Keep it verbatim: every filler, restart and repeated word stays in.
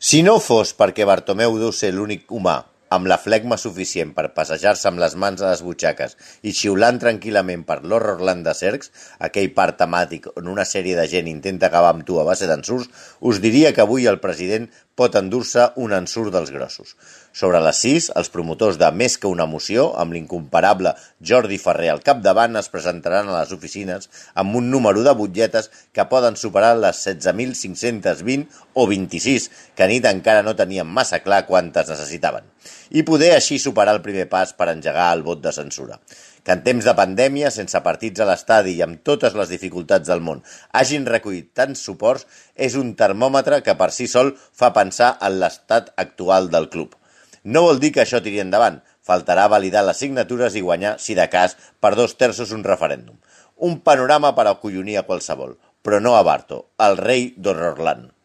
Si no fos perquè Bartomeu deu ser l'únic humà amb la flegma suficient per passejar-se amb les mans a les butxaques i xiulant tranquil·lament per l'Horrorland de Cercs, aquell parc temàtic on una sèrie de gent intenta acabar amb tu a base d'ensurts, us diria que avui el president pot endur-se un ensurt dels grossos. Sobre les sis, els promotors de Més que una moció, amb l'incomparable Jordi Ferrer al capdavant, es presentaran a les oficines amb un número de butlletes que poden superar les setze mil cinc-cents vint o vint-i-sis, que a nit encara no tenien massa clar quantes necessitaven, i poder així superar el primer pas per engegar el vot de censura. Que en temps de pandèmia, sense partits a l'estadi i amb totes les dificultats del món, hagin recollit tants suports és un termòmetre que per si sol fa pensar en l'estat actual del club. No vol dir que això tiri endavant, faltarà validar les signatures i guanyar, si de cas, per dos terços un referèndum. Un panorama per acollonir a qualsevol, però no a Barto, el rei d'Horrorland.